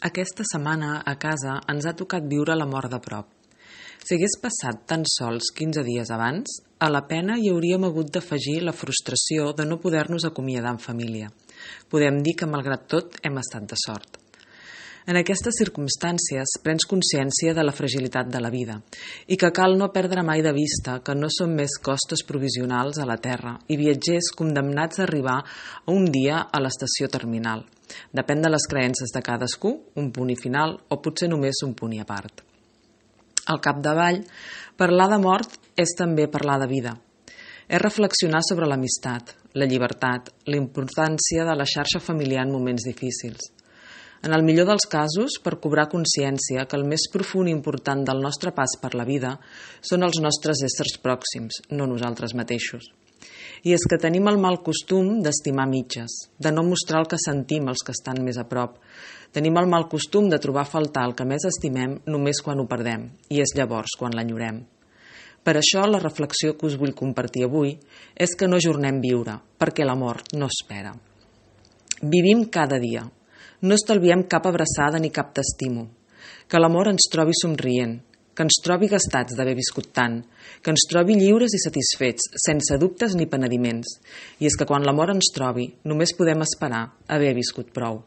Aquesta setmana, a casa, ens ha tocat viure la mort de prop. Si hagués passat tan sols 15 dies abans, a la pena hi hauríem hagut d'afegir la frustració de no poder-nos acomiadar en família. Podem dir que, malgrat tot, hem estat de sort. En aquestes circumstàncies prens consciència de la fragilitat de la vida i que cal no perdre mai de vista que no som més costes provisionals a la Terra i viatgers condemnats a arribar a un dia a l'estació terminal. Depèn de les creences de cadascú, un punt i final o potser només un punt i a part. Al capdavall, parlar de mort és també parlar de vida. És reflexionar sobre l'amistat, la llibertat, la importància de la xarxa familiar en moments difícils. En el millor dels casos, per cobrar consciència que el més profund i important del nostre pas per la vida són els nostres éssers pròxims, no nosaltres mateixos. I és que tenim el mal costum d'estimar mitges, de no mostrar el que sentim als que estan més a prop. Tenim el mal costum de trobar a faltar el que més estimem només quan ho perdem, i és llavors quan l'enyorem. Per això la reflexió que us vull compartir avui és que no ajornem viure, perquè la mort no espera. Vivim cada dia. No estalviem cap abraçada ni cap t'estimo. Que l'amor ens trobi somrient, que ens trobi gastats d'haver viscut tant, que ens trobi lliures i satisfets, sense dubtes ni penediments. I és que quan l'amor ens trobi, només podem esperar haver viscut prou.